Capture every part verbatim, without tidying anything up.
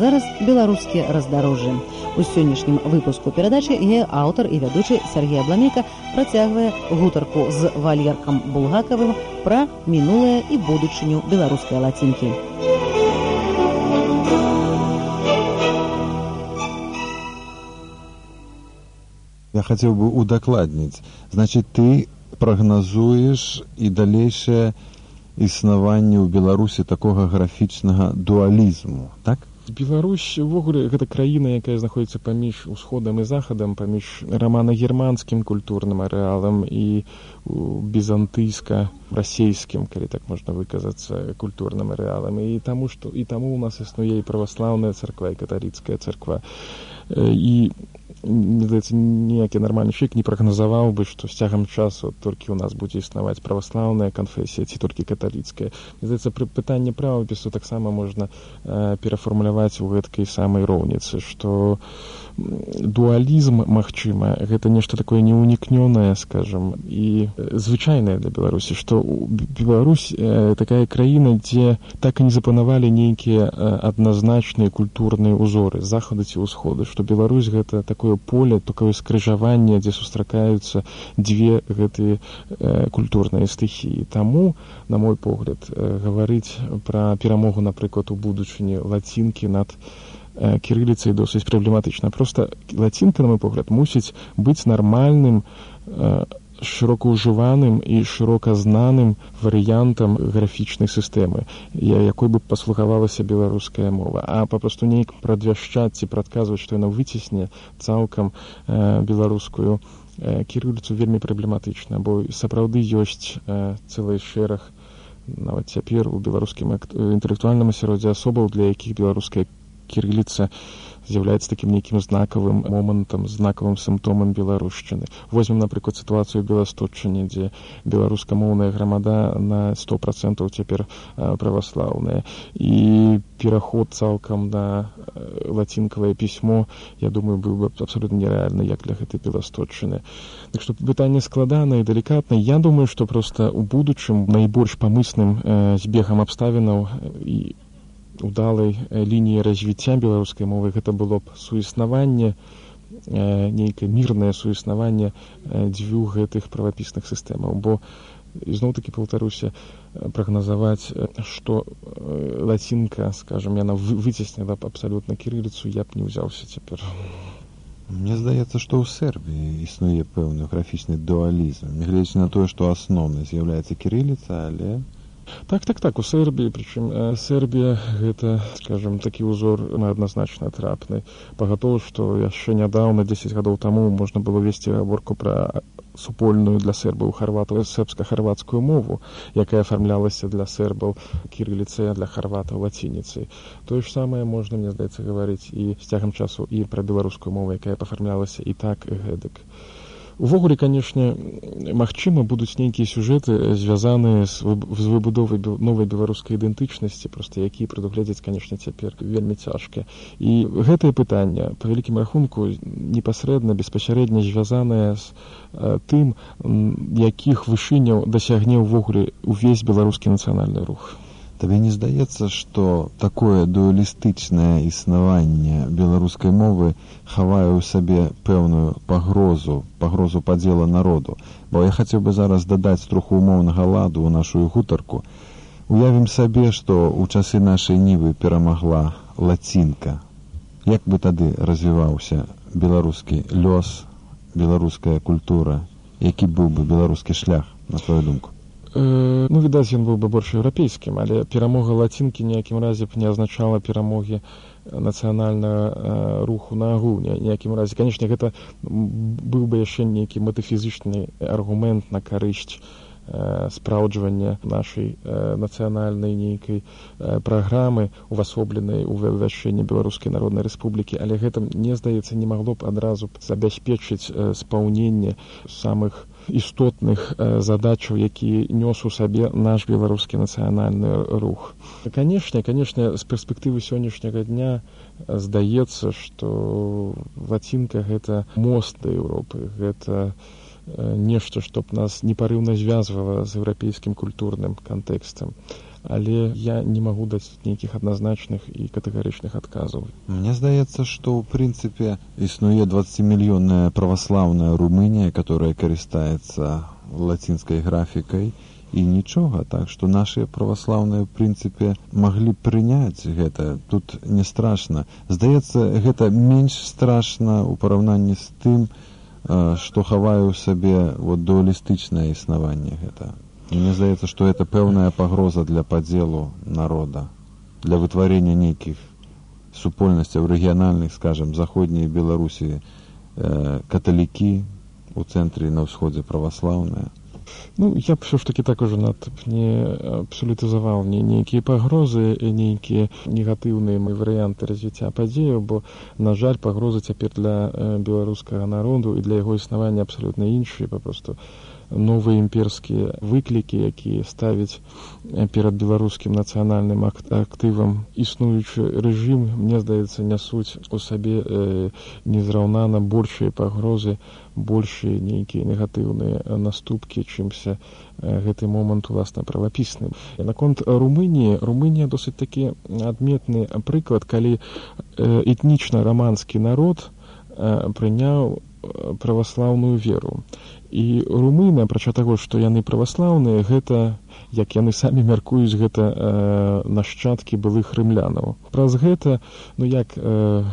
зараз беларускія раздарожжы. У сённяшнім выпуску перадачы яе аўтар і вядучы Сергей Абламейка працягвае гутарку з Валеркам Булгакавым пра мінулае і будучыню беларускай лацінкі. Я хацеў бы удакладніць. Значыць, ты прагназуеш і далейшае існаванне ў Беларусі такога графічнага дуалізму, так? Беларусь увогуле гэта краіна, якая знаходзіцца паміж усходам і захадам, паміж рамана-германскім культурным арэалам і бізантыйска-расейскім, калі так можна выказацца, культурным арэалам. І таму што і таму у нас існуе і праваслаўная царква, і каталіцкая царква. І мне здаецца, ніякі нармальны чалавек не прагназаваў бы, што з цягам часу толькі ў нас будзе існаваць праваслаўная канфесія ці толькі каталіцкая. Мне здаецца, пры пытанні правапісу таксама можна э, перафармуляваць у гэткай самай роўніцы, што дуалізм, магчыма, гэта нешта такое неунікнёнае, скажам, і звычайнае для Беларусі, што Беларусь э, такая краіна, дзе так і не запанавалі нейкія э, адназначныя культурныя ўзоры з захаду ці ўсходу, што Беларусь гэта такое поле, такое скрыжаванне, дзе сустракаюцца дзве гэтыя э, культурныя стыхіі. Таму, на мой погляд, э, гаварыць пра перамогу, напрыклад, у будучыні лацінкі над э, кірыліцай досыць праблематычна. Проста лацінка, на мой погляд, мусіць быць нармальным, э, шырока ўжываным і шырока знаным варыянтам графічнай сістэмы, якой бы паслугавалася беларуская мова. А папросту неяк прадвяшчаць ці прадказваць, што яна выцісне цалкам э, беларускую э, кірыліцу вельмі праблематычна, бо сапраўды ёсць э, цэлы шэраг, нават цяпер у беларускім інтэлектуальным асяроддзі асобаў, для якіх беларуская кірыліца з'яўляецца такім нейкім знакавым момантам, знакавым сімптомам беларушчыны. Возьмем, напрыклад, сітуацыю ў Беластотчыне, дзе беларускамоўная грамада на сто процентаў цяпер э, праваслаўная. І пераход цалкам на э, лацінкавае пісьмо, я думаю, быў бы абсалютна нерэальны, як для гэтай Беластотчыны. Так што пытанне складанае і далікатнае. Я думаю, што проста ў будучым найбольш памысным э, збегам абставінаў і удалай лініі развіцця беларускай мовы гэта было б суіснаванне, э, нейкае мірнае суіснаванне э, дзвюх гэтых правапісных сістэмаў. Бо, ізноў-такі паўтаруся, прагназаваць, што э, лацінка, скажам, яна выцесніла б абсалютна кірыліцу, я б не ўзяўся цяпер. Мне здаецца, што ў Сербіі існуе пэўны графічны дуалізм, нягледзячы на тое, што асноўнай з'яўляецца кірыліца, але Так, так, так, у Сербіі, прычым э, Сербія гэта, скажем, такі ўзор адназначна трапны. Пагатоў, што яшчэ нядаўна, дзесяць гадоў таму, можна было весці гаворку пра супольную для сербаў харватаў сербска-харвацкую мову, якая афармлялася для сербаў кірыліцай, а для харватаў лацініцай. Тое ж самае можна, мне здаецца, гаварыць і з цягам часу і пра беларускую мову, якая пафармлялася і так, і гэтак. Увогуле, канешне, магчыма, будуць нейкія сюжэты, звязаныя з выбудовай новай беларускай ідэнтычнасці, проста якія прадугледзець, канешне, цяпер вельмі цяжка. І гэтае пытанне, па вялікім рахунку, непасрэдна, беспасярэдна звязанае з э, тым, якіх вышыняў дасягне ўвогуле увесь беларускі нацыянальны рух. Табе не здаецца, што такое дуалістычнае існаванне беларускай мовы хавае ў сабе пэўную пагрозу, пагрозу падзела народу? Бо я хацеў бы зараз дадаць троху умоўнага ладу ў нашу гутарку. Уявім сабе, што ў часы нашай нівы перамагла лацінка. Як бы тады развіваўся беларускі лёс, беларуская культура? Які быў бы беларускі шлях, на твою думку? Ну, відаць, ён быў бы больш еўрапейскім, але перамога лацінкі ніякім разе б не азначала перамогі нацыянальнага руху на агул, ніякім разе. Канешне, гэта быў бы яшчэ нейкі метафізічны аргумент на карысць спраўджвання нашай нацыянальнай нейкай праграмы, увасобленай у вывяшчэнні Беларускай Народнай Рэспублікі, але гэта, мне здаецца, не магло б адразу забяспечыць спаўненне самых істотных задачаў, якія нёс у сабе наш беларускі нацыянальны рух. Канешне, канешне, з перспектывы сённяшняга дня здаецца, што лацінка гэта мост да Еўропы, гэта нешта, што б нас непарыўна звязвала з еўрапейскім культурным кантэкстам. Але я не магу даць нейкіх адназначных і катэгарычных адказаў. Мне здаецца, што ў прынцыпе існуе двадцатимиллионная праваслаўная Румынія, которая карыстаецца лацінскай графікай, і нічога, так што нашыя праваслаўныя, ў прынцыпе, маглі прыняць гэта. Тут не страшна. Здаецца, гэта менш страшна ў параўнанні з тым, што хавае ў сабе вот, дуалістычнае існаванне гэта. Мне здаецца, што гэта пэўная пагроза для падзелу народа, для вытварення нейкіх супольнасцяў рэгіянальных, скажем, заходняй Беларусі э, каталікі, у цэнтры на ўсходзе праваслаўныя. Ну, я б все ж таки так уже над не абсолютизовал не нейкія пагрозы, нейкія негатыўныя варыянты развіцця падзеяў, бо, на жаль, пагрозы цяпер для беларускага народу і для яго існавання абсалютна іншыя, папросту новыя імперскія выклікі, якія ставяць перад беларускім нацыянальным актывам існуючы рэжым, мне здаецца, нясуць у сабе э, незраўнана большыя пагрозы, большыя нейкія негатыўныя наступкі, чымся э, гэты момант уласна правапісны. Наконт Румыніі, Румынія досыць такі адметны прыклад, калі э, этнічна-раманскі народ э, прыняў праваслаўную веру. І румыны, апрача таго, што яны праваслаўныя, гэта, як яны самі мяркуюць, гэта э, нашчадкі былых рымлянаў. Праз гэта, ну як э,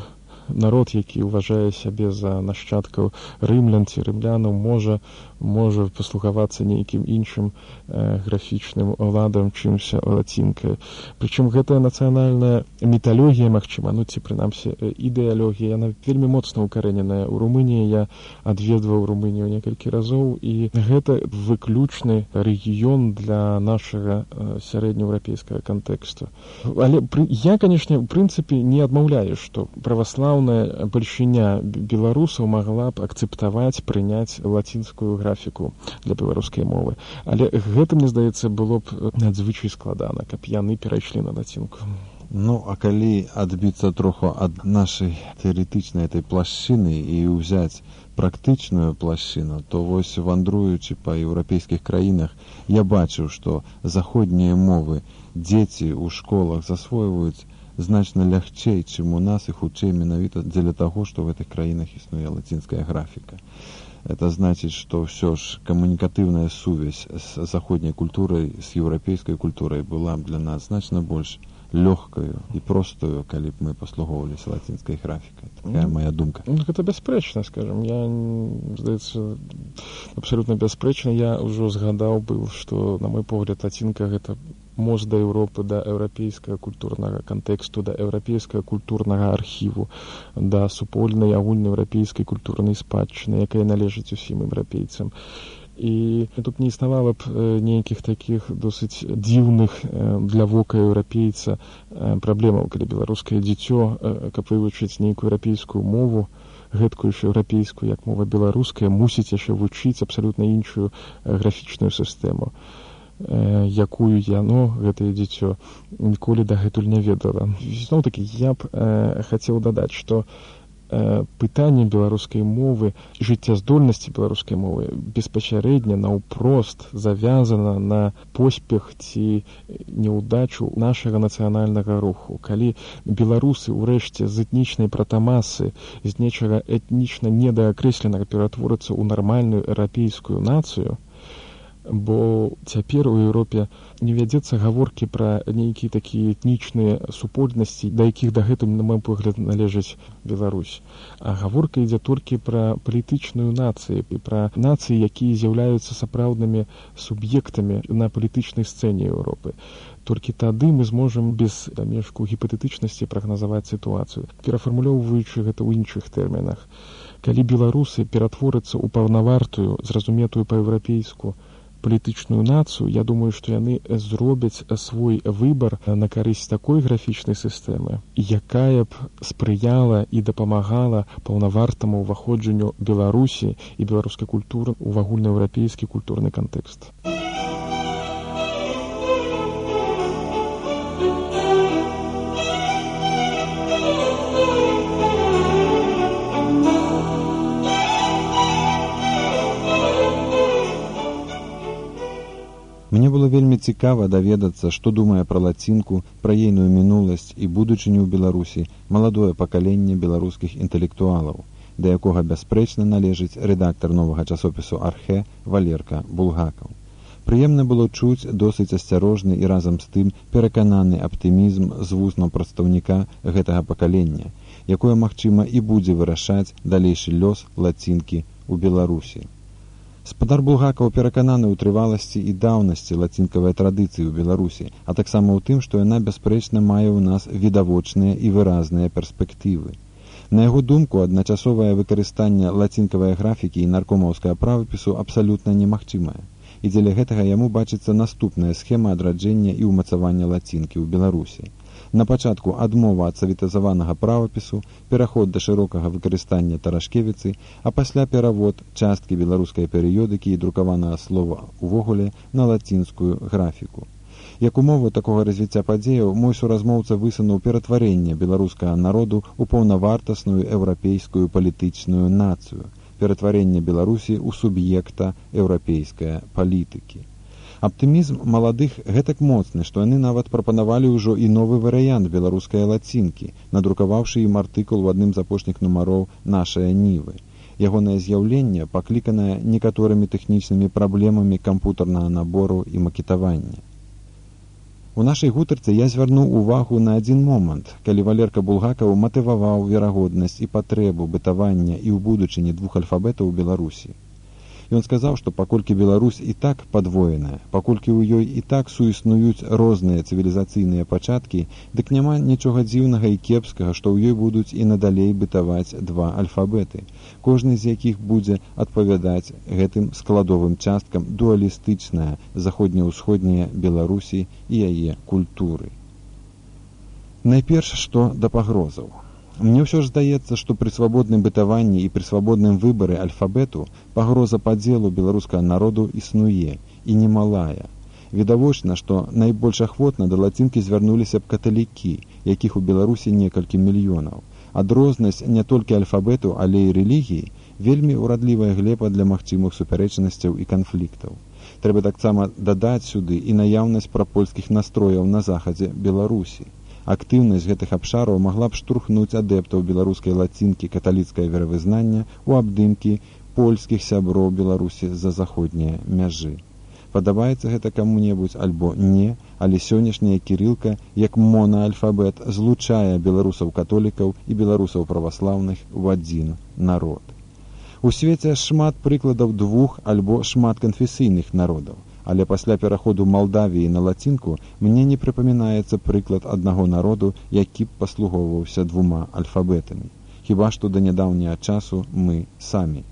народ, які ўважае сябе за нашчадкаў рымлян ці рымлянаў, можа, можа паслугавацца нейкім іншым э, графічным ладам, чымся лацінкай. Прычым гэтая нацыянальная міталогія, магчыма, ну ці прынамсі ідэалогія, яна вельмі моцна укарэненая ў Румыніі. Я адведваў Румынію некалькі разоў, і гэта выключны рэгіён для нашага э, сярэднееўрапейскага кантэксту. Але пры, я, канешне, у прынцыпе не адмаўляю, што праваслаўная бальшыня беларусаў магла б акцэптаваць, прыняць лацінскую графіку для беларускай мовы. Але гэта, мне здаецца, было б надзвычай складана, каб яны перайшлі на лацінку. Ну, а калі адбіцца троху ад нашай тэарэтычнай этой плашчыны і ўзяць практычную плашчыну, то вось вандруючы па еўрапейскіх краінах, я бачыў, што заходнія мовы дзеці ў школах засвойваюць значна лягчэй, чым у нас, і хутчэй менавіта дзеля таго, што в гэтых краінах існуе лацінская графіка. Это значит, что все ж коммуникативная сувязь с заходней культурой, с европейской культурой была для нас значно больше легкою і простою, калі б мы паслугоўваліся лацінскай графікай. Такая моя думка. Ну, гэта бясспрэчна, скажем. Я, здаецца, абсолютно бясспрэчна. Я ўжо згадаў быў, што, на мой погляд, лацінка — гэта мост да Еўропы, да еўрапейскага культурнага кантэксту, да еўрапейскага культурнага архіву, да супольнай агульнаеўрапейскай культурнай спадчыны, якая належыць усім еўрапейцам. І тут не існавала б нейкіх такіх досыць дзіўных для вока еўрапейца праблемаў, калі беларускае дзіцё, каб вывучыць нейкую еўрапейскую мову, гэткую ж еўрапейскую, як мова беларуская, мусіць яшчэ вучыць абсалютна іншую графічную сістэму, якую яно, гэтае дзіцё, ніколі дагэтуль не ведала. Зноў-такі, я б э, хацеў дадаць, што э, пытанне беларускай мовы, жыццяздольнасці беларускай мовы беспасярэдна, наўпрост завязана на поспех ці няўдачу нашага нацыянальнага руху. Калі беларусы ўрэшце з этнічнай пратамасы, з нечага этнічна недаакрэсленага ператворацца ў нармальную еўрапейскую нацыю, бо цяпер у Еўропе не вядзецца гаворкі пра нейкія такія этнічныя супольнасці, да якіх дагэтуль, на мой погляд, належыць Беларусь. А гаворка ідзе толькі пра палітычную нацыю, і пра нацыі, якія з'яўляюцца сапраўднымі суб'ектамі на палітычнай сцэне Еўропы. Толькі тады мы зможам без дамешку гіпатэтычнасці прагназаваць сітуацыю. Перафармулёўваючы гэта ў іншых тэрмінах. Калі беларусы ператворацца ў паўнавартую, зразуметую па-еўрапейску палітычную нацыю, я думаю, што яны зробяць свой выбар на карысць такой графічнай сістэмы, якая б спрыяла і дапамагала паўнавартаму ўваходжанню Беларусі і беларускай культуры ў агульнаеўрапейскі культурны кантэкст. Вельмі цікава даведацца, што думае пра лацінку, пра ейную мінуласць і будучыню ў Беларусі маладое пакаленне беларускіх інтэлектуалаў, да якога бясспрэчна належыць рэдактар новага часопісу «Архэ» Валерка Булгакаў. Прыемна было чуць досыць асцярожны і разам з тым перакананы аптымізм з вуснаў прадстаўніка гэтага пакалення, якое, магчыма, і будзе вырашаць далейшы лёс лацінкі ў Беларусі. Спадар Булгакаў перакананы ў трываласці і даўнасці лацінкавай традыцыі ў Беларусі, а таксама ў тым, што яна бясспрэчна мае ў нас відавочныя і выразныя перспектывы. На яго думку, адначасовае выкарыстанне лацінкавай графікі і наркомаўскага правапісу абсалютна немагчымае. І дзеля гэтага яму бачыцца наступная схема адраджэння і ўмацавання лацінкі ў Беларусі. На пачатку адмова ад саветызаванага правапісу, пераход да шырокага выкарыстання таражкевіцы, а пасля перавод часткі беларускай перыёдыкі і друкаванага слова увогуле на лацінскую графіку. Як умову такога развіцця падзеяў, мой суразмоўца высунуў ператварэнне беларускага народу ў паўнавартасную еўрапейскую палітычную нацыю, ператварэнне Беларусі ў суб'екта еўрапейскай палітыкі. Аптымізм маладых гэтак моцны, што яны нават прапанавалі ўжо і новы варыянт беларускай лацінкі, надрукаваўшы ім артыкул у адным з апошніх нумароў «Нашая Нівы». Ягонае з'яўленне пакліканае некаторымі тэхнічнымі праблемамі кампутарнага набору і макетавання. У нашай гутарцы я звярнуў увагу на адзін момант, калі Валерка Булгакаў матываваў верагоднасць і патрэбу бытавання і ў будучыні двух альфабетаў у Беларусі. Ён сказаў, што паколькі Беларусь і так падвоеная, паколькі ў ёй і так суіснуюць розныя цывілізацыйныя пачаткі, дык няма нічога дзіўнага і кепскага, што ў ёй будуць і надалей бытаваць два альфабеты, кожны з якіх будзе адпавядаць гэтым складовым часткам дуалістычная заходне-ўсходняя Беларусі і яе культуры. Найперш, што да пагрозаў. Мне ўсё ж здаецца, што пры свабодным бытаванні і пры свабодным выбары альфабету пагроза падзелу беларускага народу існуе, і немалая. Відавочна, што найбольш ахвотна да лацінкі звярнуліся б каталікі, якіх у Беларусі некалькі мільёнаў. Адрознасць не толькі альфабету, але і рэлігіі вельмі ўрадлівая глеба для магчымых супярэчнасцяў і канфліктаў. Трэба таксама дадаць сюды і наяўнасць прапольскіх настрояў на захадзе Беларусі. Актыўнасць гэтых абшараў магла б штурхнуць адэптаў беларускай лацінкі каталіцкае веравызнання ў абдымкі польскіх сяброў Беларусі з-за заходняе мяжы. Падабаецца гэта каму-небудзь альбо не, але сённяшняя кірылка, як монаальфабет, злучае беларусаў-католікаў і беларусаў-праваслаўных у адзін народ. У свеце шмат прыкладаў двух альбо шматканфесійных народаў, але пасля пераходу Малдавіі на лацінку мне не прыпамінаецца прыклад аднаго народу, які б паслугоўваўся двума альфабетамі. Хіба што да нядаўняга часу мы самі.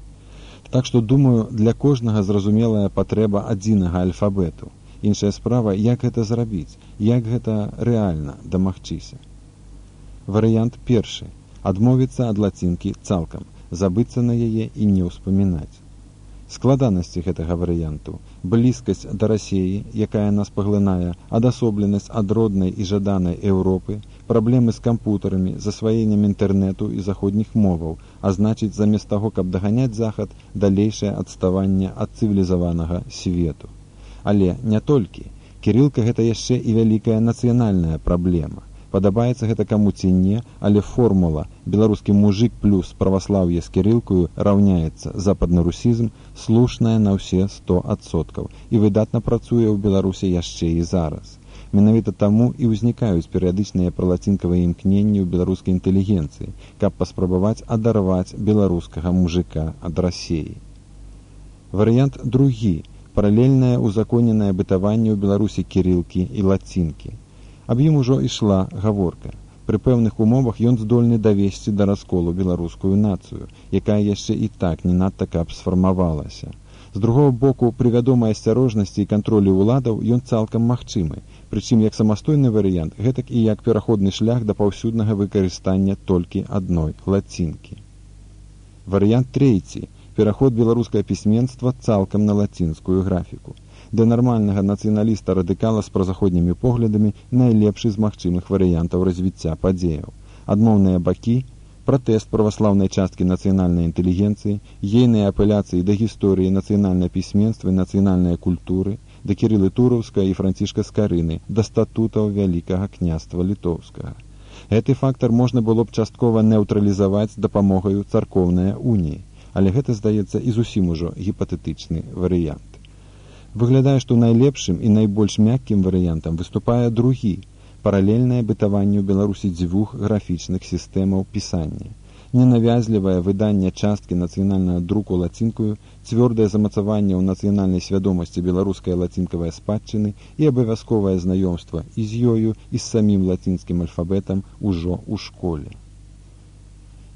Так што, думаю, для кожнага зразумелая патрэба адзінага альфабету. Іншая справа, як гэта зрабіць, як гэта рэальна дамагчыся. Варыянт першы. Адмовіцца ад лацінкі цалкам, забыцца на яе і не ўспамінаць. Складанасці гэтага варыянту, блізкасць да Расіі, якая нас паглынае, адасобленасць ад роднай і жаданай Еўропы, праблемы з кампутарамі, засваеннем інтэрнэту і заходніх моваў, а значыць, замест таго, каб даганяць захад, далейшае адставанне ад цывілізаванага свету. Але не толькі. Кірылка гэта яшчэ і вялікая нацыянальная праблема. Падабаецца гэта каму ці не, але формула «беларускі мужик плюс праваслаўе з кірылкаю раўняецца западны русізм» слушная на ўсе сто адсоткаў і выдатна працуе ў Беларусі яшчэ і зараз. Менавіта таму і ўзнікаюць перыядычныя пралацінкавыя імкненні ў беларускай інтэлігенцыі, каб паспрабаваць адарваць беларускага мужика ад Расіі. Варыянт другі – паралельнае узаконенае бытаванне ў Беларусі кірылкі і лацінкі. Аб ім ужо ішла гаворка. Пры пэўных умовах ён здольны давесці да расколу беларускую нацыю, якая яшчэ і так не надта каб сфармавалася. З другого боку, пры вядомай асцярожнасці і кантролю ўладаў ён цалкам магчымы, прычым як самастойны варыянт, гэтак і як пераходны шлях да паўсюднага выкарыстання толькі адной лацінкі. Варыянт трэці – пераход беларускае пісьменства цалкам на лацінскую графіку. Для нармальнага нацыяналіста-радыкала з празаходнімі поглядамі найлепшы з магчымых варыянтаў развіцця падзеяў. Адмоўныя бакі, пратэст праваслаўнай часткі нацыянальнай інтэлігенцыі, ейныя апеляцыі да гісторыі нацыянальнай пісьменства і нацыянальнай культуры, да Кірылы Тураўскага і Францішка Скарыны, да статутаў Вялікага княства Літоўскага. Гэты фактар можна было б часткова neutrалізаваць дапамогаю царкоўнай уніі, але гэта, здаецца, і зусім ужо гіпатэтычны варыянт. Выглядае, што найлепшым і найбольш мяккім варыянтам выступае другі, паралельнае бытаванню Беларусі дзвюх графічных сістэмаў пісання. Ненавязлівае выданне часткі нацыянальнага друку лацінкаю, цвёрдае замацаванне ў нацыянальнай свядомасці беларускай лацінкавай спадчыны і абавязковае знаёмства і з ёю, і з самім лацінскім альфабетам ужо ў школе.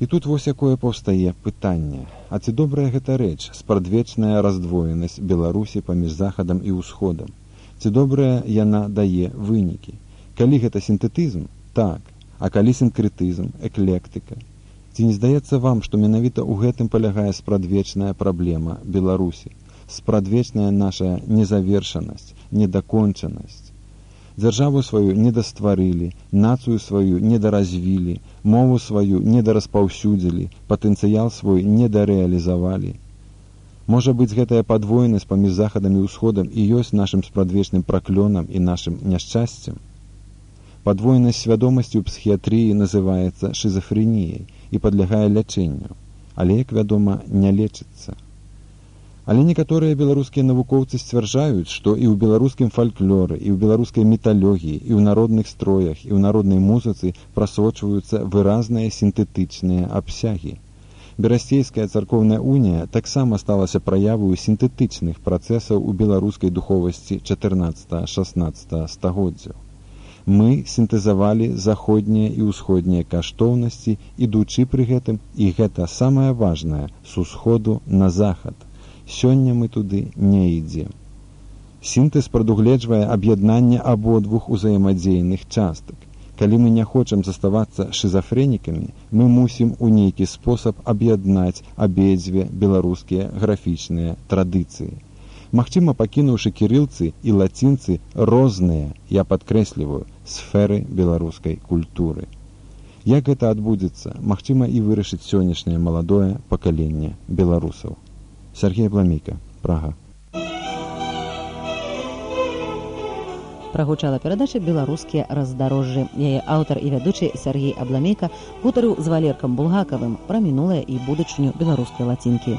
І тут вось якое паўстае пытанне. А ці добрая гэта рэч, спрадвечная раздвоенасць Беларусі паміж захадам і ўсходам? Ці добрая яна дае вынікі? Калі гэта сінтэтызм? Так. А калі сінкрэтызм, эклектыка? Ці не здаецца вам, што менавіта ў гэтым палягае спрадвечная праблема Беларусі? Спрадвечная наша незавершанасць, недакончанасць. Дзяржаву сваю недастварылі, нацыю сваю недаразвілі, мову сваю недараспаўсюдзілі, патэнцыял свой недарэалізавалі. Можа быць, гэтая падвойнасць паміж захадам і ўсходам і ёсць нашым спрадвечным праклёнам і нашым няшчасцем? Падвойнасць свядомасці ў псіхіятрыі называецца шызафрэніяй і падлягае лячэнню, але, як вядома, не лечыцца. Але некаторыя беларускія навукоўцы сцвярджаюць, што і ў беларускім фальклоры, і ў беларускай міталогіі, і ў народных строях, і ў народнай музыцы прасочваюцца выразныя сінтэтычныя абсягі. Берасцейская царкоўная унія таксама сталася праяваю сінтэтычных працэсаў у беларускай духовасці чатырнаццатага-шаснаццатага стагоддзяў. Мы сінтэзавалі заходнія і ўсходнія каштоўнасці, ідучы пры гэтым, і гэта самае важнае, з усходу на захад. Сёння мы туды не ідзем. Сінтэз прадугледжвае аб'яднанне абодвух узаемадзейных частак. Калі мы не хочам заставацца шызафрэнікамі, мы мусім у нейкі спосаб аб'яднаць абедзве беларускія графічныя традыцыі. Магчыма, пакінуўшы кірылцы і лацінцы розныя, я падкрэсліваю, сферы беларускай культуры. Як гэта адбудзецца, магчыма, і вырашыць сённяшняе маладое пакаленне беларусаў. Сергей Абламейка, Прага. Прагучала перадача «Беларускія раздарожжы». Яе аўтар і вядучы Сергей Абламейка гутарыў з Валеркам Булгакавым пра мінулае і будучыню беларускай лацінкі.